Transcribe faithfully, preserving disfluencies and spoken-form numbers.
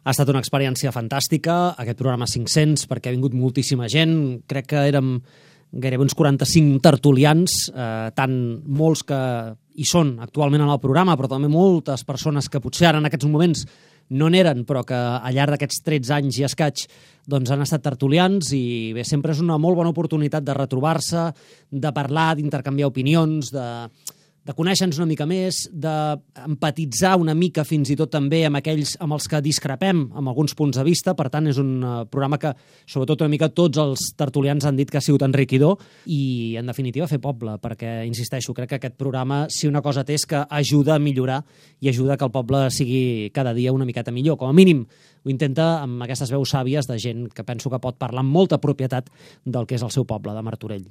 Ha estat una experiència fantàstica, aquest programa cinc-cents, perquè ha vingut moltíssima gent. Crec que érem gairebé uns quaranta-cinc tertulians, eh, tant molts que hi són actualment en el programa, però també moltes persones que potser ara en aquests moments no n'eren, però que al llarg d'aquests tretze anys i escaig doncs han estat tertulians, i bé, sempre és una molt bona oportunitat de retrobar-se, de parlar, d'intercanviar opinions, de, de conèixer-nos una mica més, d'empatitzar una mica fins i tot també amb aquells amb els que discrepem amb alguns punts de vista. Per tant, és un programa que, sobretot una mica, tots els tertulians han dit que ha sigut enriquidor i, en definitiva, fer poble, perquè, insisteixo, crec que aquest programa, si una cosa té, és que ajuda a millorar i ajuda que el poble sigui cada dia una miqueta millor. Com a mínim, ho intenta amb aquestes veus sàvies de gent que penso que pot parlar amb molta propietat del que és el seu poble, de Martorell.